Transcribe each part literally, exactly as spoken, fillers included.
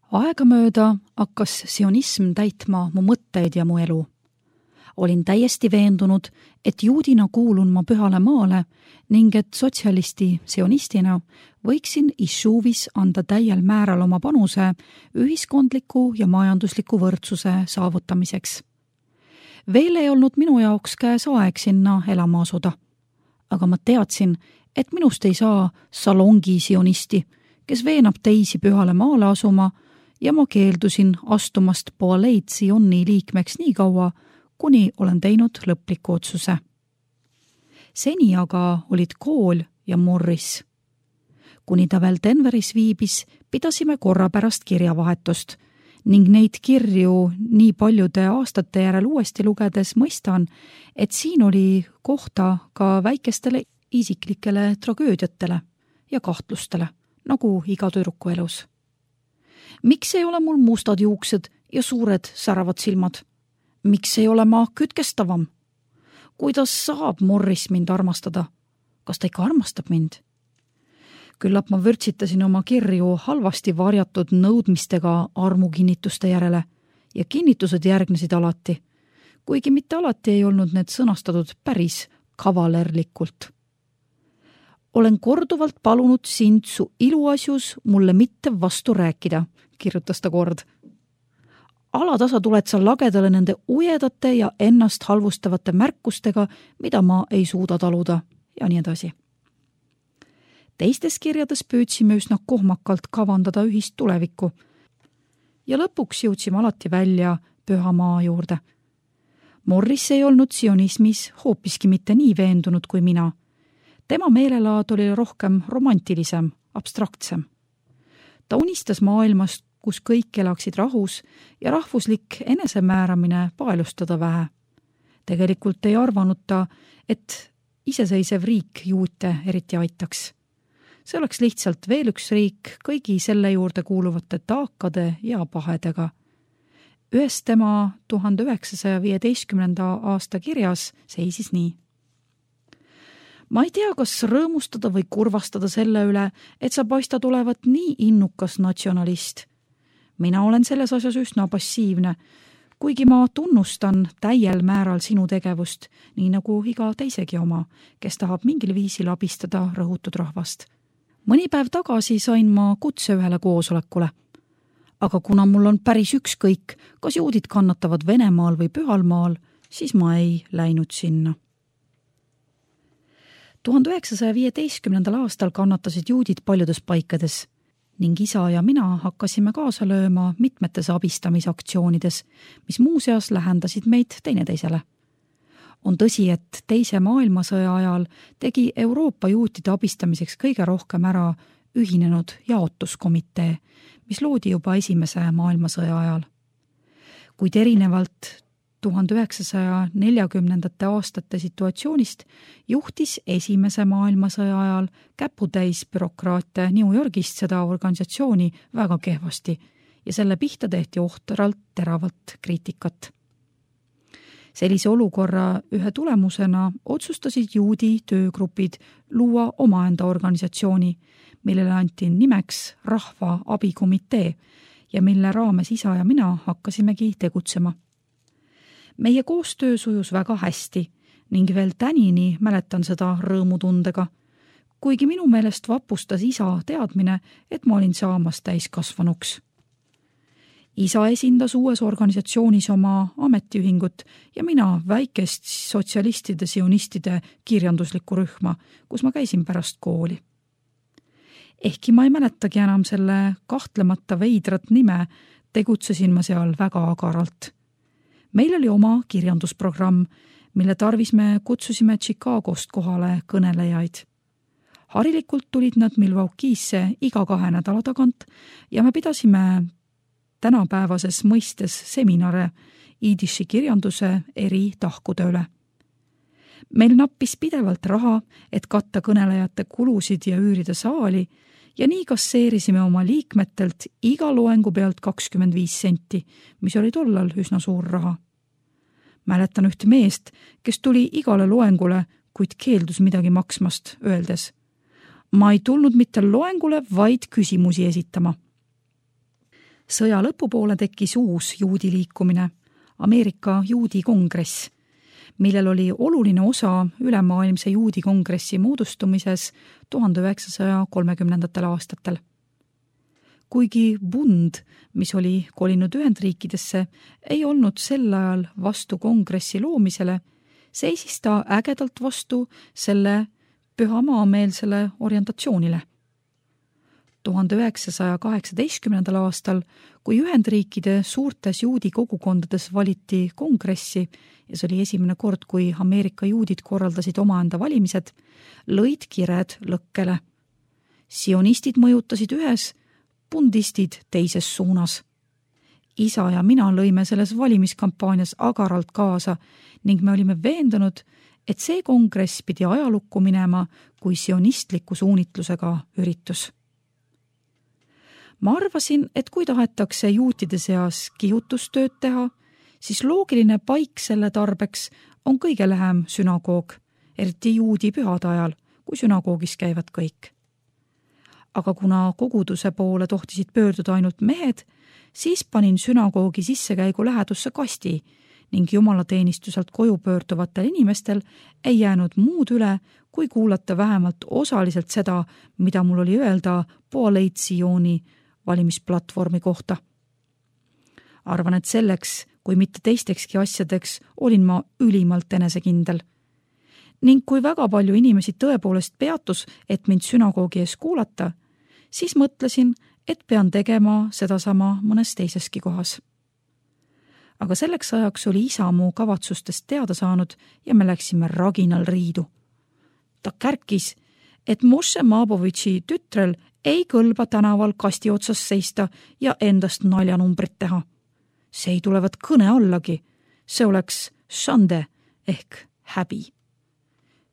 Aegamööda hakkas sionism täitma mu mõtteid ja mu elu. Olin täiesti veendunud, et juudina kuulun ma pühale maale ning et sotsialisti sionistina võiksin Išuvis anda täiel määral oma panuse ühiskondliku ja majandusliku võrdsuse saavutamiseks. Veel ei olnud minu jaoks käes aeg sinna elama asuda, aga ma teadsin, et minust ei saa salongi sionisti, kes veenab teisi pühale maale asuma, ja ma keeldusin astumast Poaleid Sioni liikmeks nii kaua, kuni olen teinud lõpliku otsuse. Seni aga olid kool ja Morris. Kuni ta veel Denveris viibis, pidasime korra pärast kirjavahetust ning neid kirju nii paljude aastate järel uuesti lugedes mõistan, et siin oli kohta ka väikestele isiklikele tragöödiatele ja kahtlustele, nagu iga tüdruku elus. Miks ei ole mul mustad juuksed ja suured säravad silmad? Miks ei ole ma kütkestavam? Kuidas saab Morris mind armastada? Kas ta ikka armastab mind? Küllap ma vürtsitasin oma kirju halvasti varjatud nõudmistega armukinnituste järele ja kinnitused järgnesid alati, kuigi mitte alati ei olnud need sõnastatud päris kavalerlikult. Olen korduvalt palunud sind su iluasjus mulle mitte vastu rääkida, kirjutas ta kord. Alatasa tuled sa lagedale nende ujedate ja ennast halvustavate märkustega, mida ma ei suuda taluda, ja nii edasi. Teistes kirjades püüdsime üsna kohmakalt kavandada ühist tulevikku ja lõpuks jõudsime alati välja püha maa juurde. Morris ei olnud sionismis hoopiski mitte nii veendunud kui mina. Tema meelelaad oli rohkem romantilisem, abstraktsem. Ta unistas maailmast, kus kõik elaksid rahus ja rahvuslik enesemääramine paelustada vähe. Tegelikult ei arvanud ta, et iseseisev riik juute eriti aitaks. See oleks lihtsalt veel üks riik kõigi selle juurde kuuluvate taakade ja pahedega. Ühes tema tuhande üheksasaja viieteistkümnenda aasta kirjas seisis nii. Ma ei tea, kas rõõmustada või kurvastada selle üle, et sa paistad olevat nii innukas natsionalist. Mina olen selles asjas üsna passiivne, kuigi ma tunnustan täiel määral sinu tegevust, nii nagu iga teisegi oma, kes tahab mingil viisil abistada rõhutud rahvast. Mõni päev tagasi sain ma kutse ühele koosolekule, aga kuna mul on päris ükskõik, kas juudid kannatavad Venemaal või Pühalmaal, siis ma ei läinud sinna. tuhande üheksasaja viieteistkümnendal aastal kannatasid juudid paljudes paikades ning isa ja mina hakkasime kaasa lööma mitmetes abistamisaktsioonides, mis muuseas lähendasid meid teineteisele. On tõsi, et teise maailmasõja ajal tegi Euroopa juutide abistamiseks kõige rohkem ära ühinenud jaotuskomitee, mis loodi juba esimese maailmasõja ajal. Kuid erinevalt tuhande üheksasaja neljakümnendate aastate situatsioonist juhtis esimese maailmasõja ajal käputäis bürokraate New Yorgist seda organisatsiooni väga kehvasti ja selle pihta tehti ohtralt teravalt kriitikat. Sellise olukorra ühe tulemusena otsustasid juudi töögrupid luua omaenda organisatsiooni, millele anti nimeks Rahva abikomitee ja mille raames isa ja mina hakkasimegi tegutsema. Meie koostöö sujus väga hästi ning veel tänini mäletan seda rõõmutundega, kuigi minu meelest vapustas isa teadmine, et ma olin saamas täiskasvanuks. Isa esindas uues organisatsioonis oma ametiühingut ja mina väikest sotsialistide sionistide kirjanduslikku rühma, kus ma käisin pärast kooli. Ehkki ma ei mäletagi enam selle kahtlemata veidrat nime, tegutsesin ma seal väga agaralt. Meil oli oma kirjandusprogramm, mille tarvis me kutsusime Chicagost kohale kõnelejaid. Harilikult tulid nad Milwaukee'sse iga kahe nädala tagant ja me pidasime tänapäevases mõistes seminare iidiši kirjanduse eri tahkude üle. Meil nappis pidevalt raha, et katta kõnelejate kulusid ja üürida saali ja nii kasseerisime oma liikmetelt iga loengu pealt kakskümmend viis senti, mis oli tollal üsna suur raha. Mäletan ühte meest, kes tuli igale loengule, kuid keeldus midagi maksmast, öeldes: ma ei tulnud mitte loengule, vaid küsimusi esitama. Sõja lõpupoole tekkis uus juudi liikumine, Ameerika juudi kongress, millel oli oluline osa ülemaailmse juudi kongressi moodustumises tuhande üheksasaja kolmekümnendatel aastatel. Kuigi Bund, mis oli kolinud Ühendriikidesse, ei olnud sel ajal vastu kongressi loomisele, seisis ta ägedalt vastu selle pühamaameelsele orientatsioonile. tuhande üheksasaja kaheksateistkümnendal aastal, kui Ühendriikide suurtes juudi kogukondades valiti kongressi ja see oli esimene kord, kui Ameerika juudid korraldasid omaenda valimised, lõid kired lõkkele. Sionistid mõjutasid ühes, bundistid teises suunas. Isa ja mina lõime selles valimiskampaanias agaralt kaasa ning me olime veendunud, et see kongress pidi ajalukku minema kui sionistliku suunitlusega üritus. Ma arvasin, et kui tahetakse juutide seas kihutustööd teha, siis loogiline paik selle tarbeks on kõige lähem sünagoog, eriti juudi pühade ajal, kui sünagoogis käivad kõik. Aga kuna koguduse poole tohtisid pöörduda ainult mehed, siis panin sünagoogi sissekäigu lähedusse kasti ning jumalateenistuselt koju pöörduvatel inimestel ei jäänud muud üle, kui kuulata vähemalt osaliselt seda, mida mul oli öelda Poalei Tsioni valimisplatvormi kohta. Arvan, et selleks, kui mitte teistekski asjadeks, olin ma ülimalt enesekindel. Ning kui väga palju inimesi tõepoolest peatus, et mind sünagoogi ees kuulata, siis mõtlesin, et pean tegema sedasama mõnes teiseski kohas. Aga selleks ajaks oli isa mu kavatsustest teada saanud ja me läksime raginal riidu. Ta kärkis, et Moshe Maabovitši tütrel ei kõlba tänaval kasti otsas seista ja endast naljanumbrit teha. See ei tulevat kõne allagi, see oleks šande ehk häbi.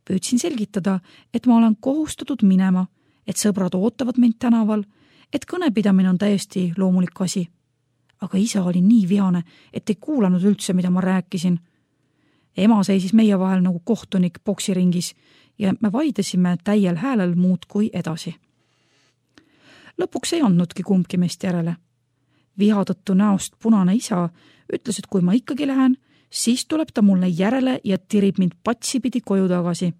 Püüdsin selgitada, et ma olen kohustatud minema, et sõbrad ootavad mind tänaval, et kõnepidamine on täiesti loomulik asi. Aga isa oli nii vihane, et ei kuulanud üldse, mida ma rääkisin. Ema seisis meie vahel nagu kohtunik boksiringis ja me vaidesime täiel häälel muud kui edasi. Lõpuks ei andnudki kumbki meist järele. Viha tõttu näost punane isa ütles, et kui ma ikkagi lähen, siis tuleb ta mulle järele ja tirib mind patsipidi koju tagasi.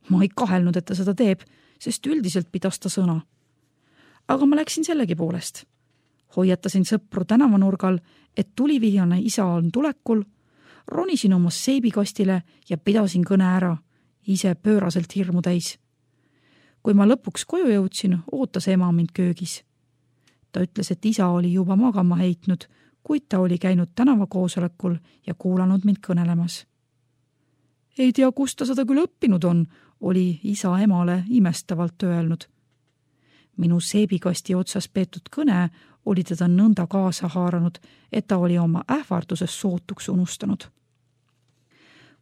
Ma ei kahelnud, et ta seda teeb, sest üldiselt pidas ta sõna. Aga ma läksin sellegi poolest. Hoiatasin sõpru tänavanurgal, et tulivihjane isa on tulekul, ronisin oma seebikastile ja pidasin kõne ära, ise pööraselt hirmu täis. Kui ma lõpuks koju jõudsin, ootas ema mind köögis. Ta ütles, et isa oli juba magama heitnud, kuid ta oli käinud tänavakoosolekul ja kuulanud mind kõnelemas. Ei tea, kust ta seda küll õppinud on, oli isa emale imestavalt öelnud. Minu seebikasti otsas peetud kõne oli teda nõnda kaasa haaranud, et ta oli oma ähvarduses sootuks unustanud.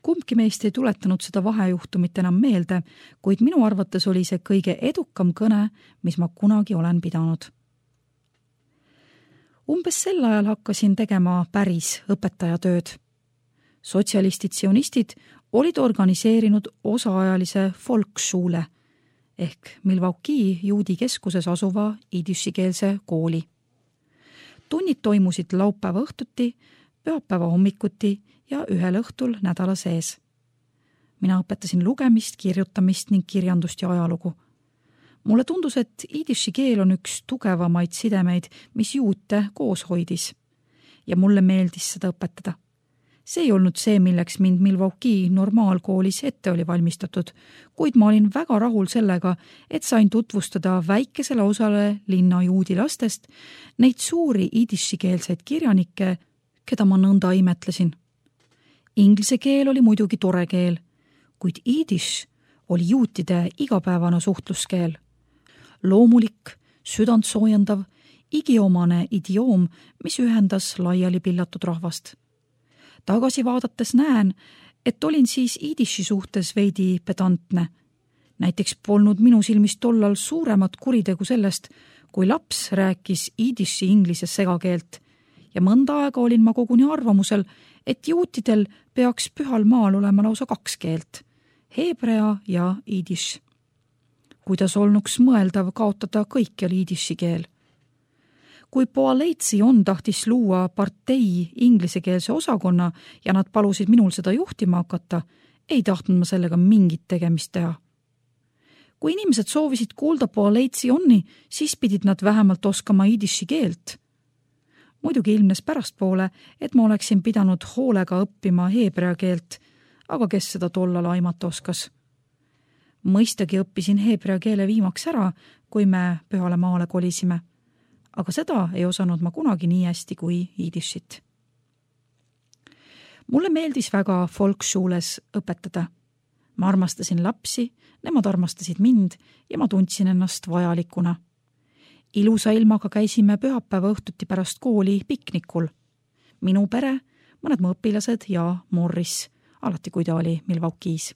Kumbki meist ei tuletanud seda vahejuhtumit enam meelde, kuid minu arvates oli see kõige edukam kõne, mis ma kunagi olen pidanud. Umbes sel ajal hakkasin tegema päris õpetajatööd. Sotsialistid sionistid olid organiseerinud osaajalise Volksschule ehk Milwaukee juudi keskuses asuva idüssikeelse kooli. Tunnid toimusid laupäeva õhtuti, pühapäeva hommikuti ja ühel õhtul nädala sees. Mina õpetasin lugemist, kirjutamist ning kirjandust ja ajalugu. Mulle tundus, et idüssi keel on üks tugevamaid sidemeid, mis juute koos hoidis. Ja mulle meeldis seda õpetada. See ei olnud see, milleks mind Milwaukee normaalkoolis ette oli valmistatud, kuid ma olin väga rahul sellega, et sain tutvustada väikesele osale linna juudi lastest neid suuri idüssikeelseid kirjanikke, keda ma nõnda imetlesin. Inglise keel oli muidugi tore keel, kuid idüss oli juutide igapäevane suhtluskeel. Loomulik, südantsoojendav, igiomane idioom, mis ühendas laiali pillatud rahvast. Tagasi vaadates näen, et olin siis idissi suhtes veidi pedantne. Näiteks polnud minu silmis tollal suuremat kuritegu sellest, kui laps rääkis idissi inglise segakeelt ja mõnda aega olin ma koguni arvamusel, et juutidel peaks pühal maal olema lausa kaks keelt, heebrea ja idiss. Kuidas olnuks mõeldav kaotada kõikjal idissi keel. Kui Poaleitsion tahtis luua partei inglisekeelse osakonna ja nad palusid minul seda juhtima hakata, ei tahtnud ma sellega mingit tegemist teha. Kui inimesed soovisid kuulda Poaleitsioni, siis pidid nad vähemalt oskama idiši keelt. Muidugi ilmnes pärastpoole, et ma oleksin pidanud hoolega õppima heebrea keelt, aga kes seda tollal aimata oskas. Mõistagi õppisin heebrea keele viimaks ära, kui me Pühale maale kolisime, aga seda ei osanud ma kunagi nii hästi kui idišit. Mulle meeldis väga Volksschooles õpetada. Ma armastasin lapsi, nemad armastasid mind ja ma tundsin ennast vajalikuna. Ilusa ilmaga käisime pühapäeva õhtuti pärast kooli piknikul. Minu pere, mõned mu õpilased ja Morris, alati kui ta oli Milwaukee's.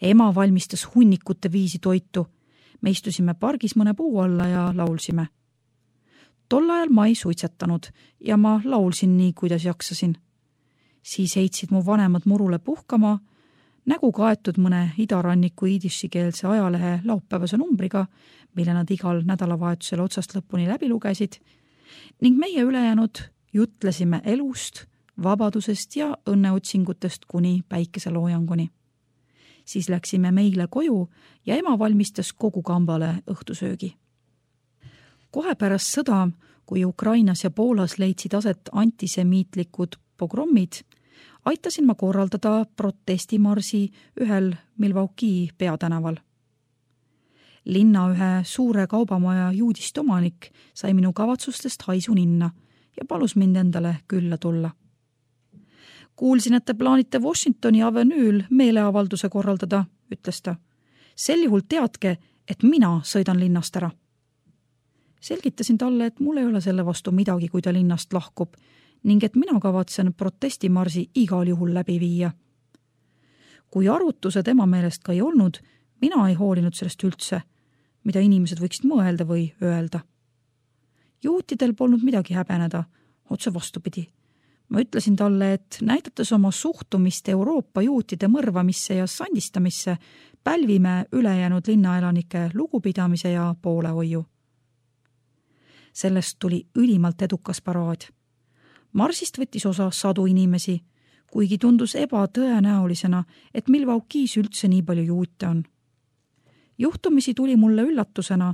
Ema valmistas hunnikute viisi toitu. Me istusime pargis mõne puu alla ja laulsime. Tol ajal ma ei suitsetanud ja ma laulsin nii, kuidas jaksasin. Siis heitsid mu vanemad murule puhkama, nägu kaetud mõne idaranniku idishikeelse ajalehe laupäevase numbriga, mille nad igal nädalavahetusel otsast lõpuni läbi lugesid, ning meie ülejäänud jutlesime elust, vabadusest ja õnneotsingutest kuni päikeseloojanguni. Siis läksime meile koju ja ema valmistas kogu kambale õhtusöögi. Kohe pärast sõda, kui Ukrainas ja Poolas leidsid aset antisemiitlikud pogrommid, aitasin ma korraldada protestimarsi ühel Milwaukee peatänaval. Linna ühe suure kaubamaja juudist omanik sai minu kavatsustest haisu ninna ja palus mind endale külla tulla. Kuulsin, et te plaanite Washingtoni avenüül meeleavalduse korraldada, ütles ta. Sel juhul teadke, et mina sõidan linnast ära. Selgitasin talle, et mul ei ole selle vastu midagi, kui ta linnast lahkub, ning et mina kavatsen protestimarsi igal juhul läbi viia. Kui arutused ema meelest ka ei olnud, mina ei hoolinud sellest üldse, mida inimesed võiksid mõelda või öelda. Juutidel polnud midagi häbeneda, otse vastupidi. Ma ütlesin talle, et näidates oma suhtumist Euroopa juutide mõrvamisse ja sandistamisse, pälvime ülejäänud linnaelanike lugupidamise ja poolehoiu. Sellest tuli ülimalt edukas paraad. Marsist võttis osa sadu inimesi, kuigi tundus ebatõenäolisena, et Milwaukee's üldse nii palju juute on. Juhtumisi tuli mulle üllatusena,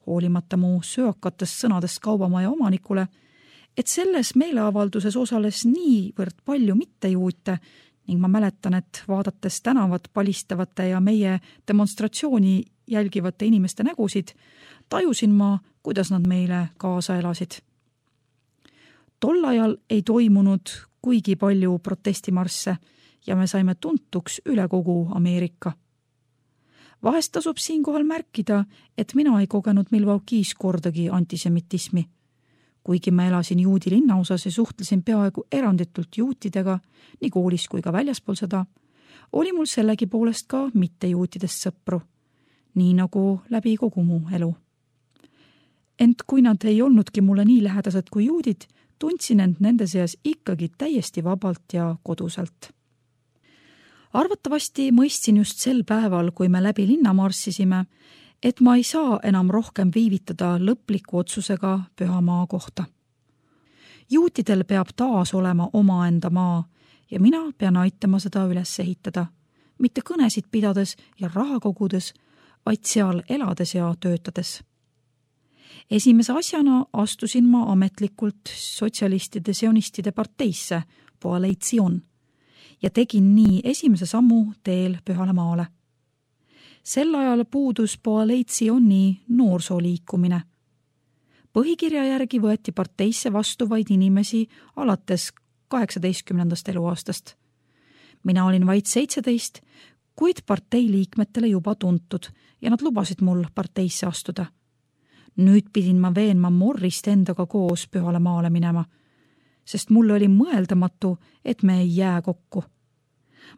hoolimata mu söökatest sõnadest kaubamaja omanikule, et selles meeleavalduses osales niivõrd palju mittejuute ning ma mäletan, et vaadates tänavat palistavate ja meie demonstratsiooni jälgivate inimeste nägusid, tajusin ma, kuidas nad meile kaasa elasid. Tol ajal ei toimunud kuigi palju protestimarsse ja me saime tuntuks üle kogu Ameerika. Vahest tasub siinkohal märkida, et mina ei kogenud Milwaukee's kordagi antisemitismi. Kuigi ma elasin juudi linnaosas ja suhtlesin peaaegu eranditult juutidega, nii koolis kui ka väljaspool seda, oli mul sellegi poolest ka mittejuutidest sõpru, nii nagu läbi kogu mu elu. Ent kui nad ei olnudki mulle nii lähedased kui juudid, tundsin end nende seas ikkagi täiesti vabalt ja koduselt. Arvatavasti mõistsin just sel päeval, kui me läbi linna marssisime, et ma ei saa enam rohkem viivitada lõpliku otsusega pühamaa kohta. Juutidel peab taas olema omaenda maa ja mina pean aitama seda üles ehitada, mitte kõnesid pidades ja raha kogudes, vaid seal elades ja töötades. Esimese asjana astusin ma ametlikult sotsialistide sionistide parteisse, Poaleitsion, ja tegin nii esimese sammu teel Pühale maale. Sel ajal puudus Poaleitioni noorsooliikumine. Põhikirja järgi võeti parteisse vastu vaid inimesi alates kaheksateistkümnendast eluaastast. Mina olin vaid seitseteist, kuid partei liikmetele juba tuntud ja nad lubasid mul parteisse astuda. Nüüd pidin ma veenma Morrist endaga koos Pühale maale minema, sest mulle oli mõeldamatu, et me ei jää kokku.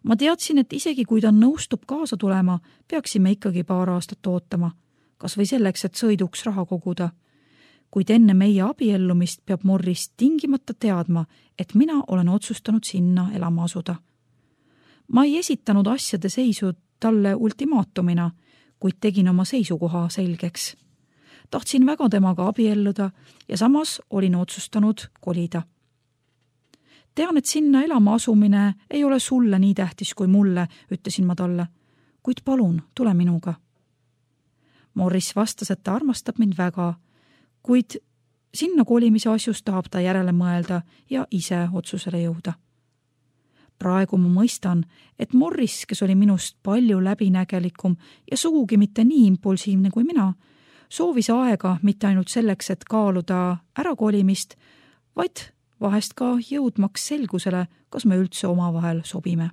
Ma teadsin, et isegi kui ta nõustub kaasa tulema, peaksime ikkagi paar aastat ootama, kas või selleks, et sõiduks raha koguda. Kuid enne meie abiellumist peab Morris tingimata teadma, et mina olen otsustanud sinna elama asuda. Ma ei esitanud asjade seisu talle ultimaatumina, kuid tegin oma seisukoha selgeks. tahtsin väga temaga abielluda ja samas olin otsustanud kolida. Tean, et sinna elama asumine ei ole sulle nii tähtis kui mulle, ütlesin ma talle, kuid palun, tule minuga. Morris vastas, et ta armastab mind väga, kuid sinna kolimise asjus tahab ta järele mõelda ja ise otsusele jõuda. Praegu ma mõistan, et Morris, kes oli minust palju läbinägelikum ja sugugi mitte nii impulsiivne kui mina, soovis aega mitte ainult selleks, et kaaluda ärakolimist, vaid vahest ka jõudmaks selgusele, kas me üldse omavahel sobime.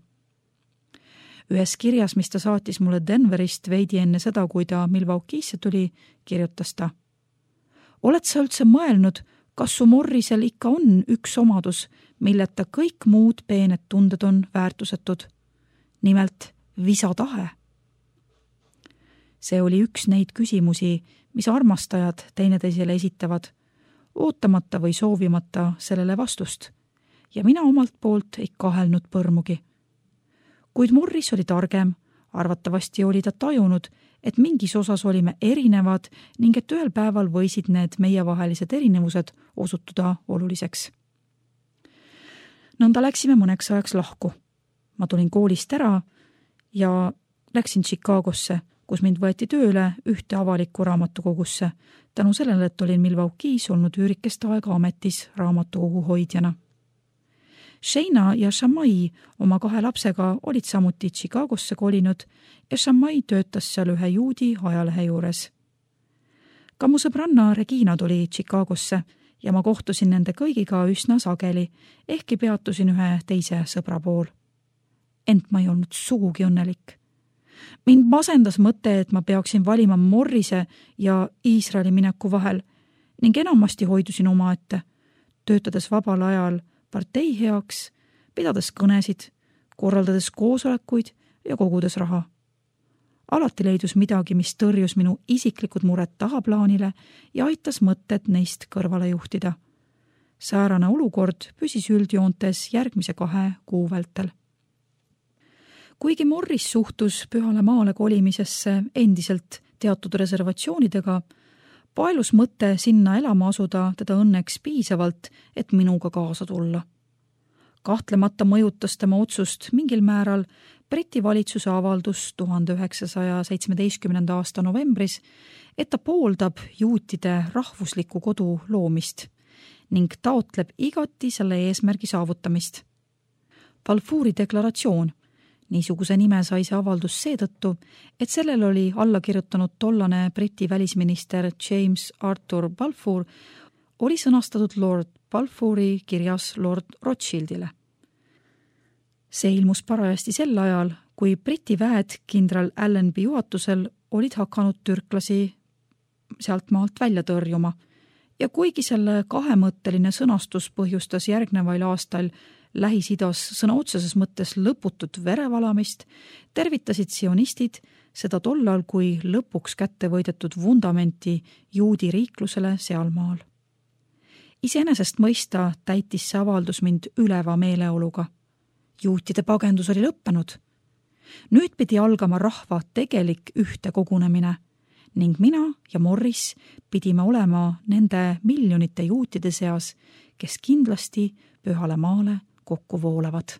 Ühes kirjas, mis ta saatis mulle Denverist veidi enne seda, kui ta Milwaukee'sse tuli, kirjutas ta. Oled sa üldse mõelnud, kas su Morrisel ikka on üks omadus, milleta kõik muud peened tunded on väärtusetud? Nimelt visatahe. See oli üks neid küsimusi, mis armastajad teineteisele esitavad, ootamata või soovimata sellele vastust, ja mina omalt poolt ei kahelnud põrmugi. Kuid Morris oli targem, arvatavasti oli ta tajunud, et mingis osas olime erinevad ning et ühel päeval võisid need meievahelised erinevused osutuda oluliseks. Nõnda läksime mõneks ajaks lahku. Ma tulin koolist ära ja läksin Chicagosse, kus mind võeti tööle ühte avalikku raamatukogusse, tänu sellele, et olin Milwaukee's olnud üürikest aega ametis raamatukogu hoidjana. Shayna ja Shamai oma kahe lapsega olid samuti Chicagosse kolinud ja Shamai töötas seal ühe juudi ajalehe juures. Ka mu sõbranna Regina tuli Chicagosse ja ma kohtusin nende kõigiga üsna sageli, ehkki peatusin ühe teise sõbra pool. Ent ma ei olnud sugugi õnnelik. Mind masendas mõte, et ma peaksin valima Morrise ja Iisraeli mineku vahel ning enamasti hoidusin omaette, töötades vabal ajal partei heaks, pidades kõnesid, korraldades koosolekuid ja kogudes raha. Alati leidus midagi, mis tõrjus minu isiklikud mured tahaplaanile ja aitas mõtted neist kõrvale juhtida. Säärane olukord püsis üldjoontes järgmise kahe kuu vältel. Kuigi Morris suhtus Pühale maale kolimisesse endiselt teatud reservatsioonidega, paelus mõte sinna elama asuda teda õnneks piisavalt, et minuga kaasa tulla. Kahtlemata mõjutas tema otsust mingil määral Briti valitsuse avaldus tuhande üheksasaja seitsmeteistkümnenda aasta novembris, et ta pooldab juutide rahvusliku kodu loomist ning taotleb igati selle eesmärgi saavutamist. Balfouri deklaratsioon. Niisuguse nime sai see avaldus seetõttu, et sellel oli alla kirjutanud tollane Briti välisminister James Arthur Balfour, oli sõnastatud Lord Balfouri kirjas Lord Rothschildile. See ilmus parajasti sel ajal, kui Briti väed kindral Allenby juhatusel olid hakanud türklasi sealt maalt välja tõrjuma ja kuigi selle kahemõtteline sõnastus põhjustas järgnevail aastal Lähis-Idas sõna otseses mõttes lõputut verevalamist, tervitasid sionistid seda tollal kui lõpuks kätte võidetud vundamenti juudi riiklusele sealmaal. Iseenesest mõista täitis see avaldus mind üleva meeleoluga. Juutide pagendus oli lõppenud. Nüüd pidi algama rahva tegelik ühte kogunemine ning mina ja Morris pidime olema nende miljonite juutide seas, kes kindlasti Pühale maale kokku voolavad.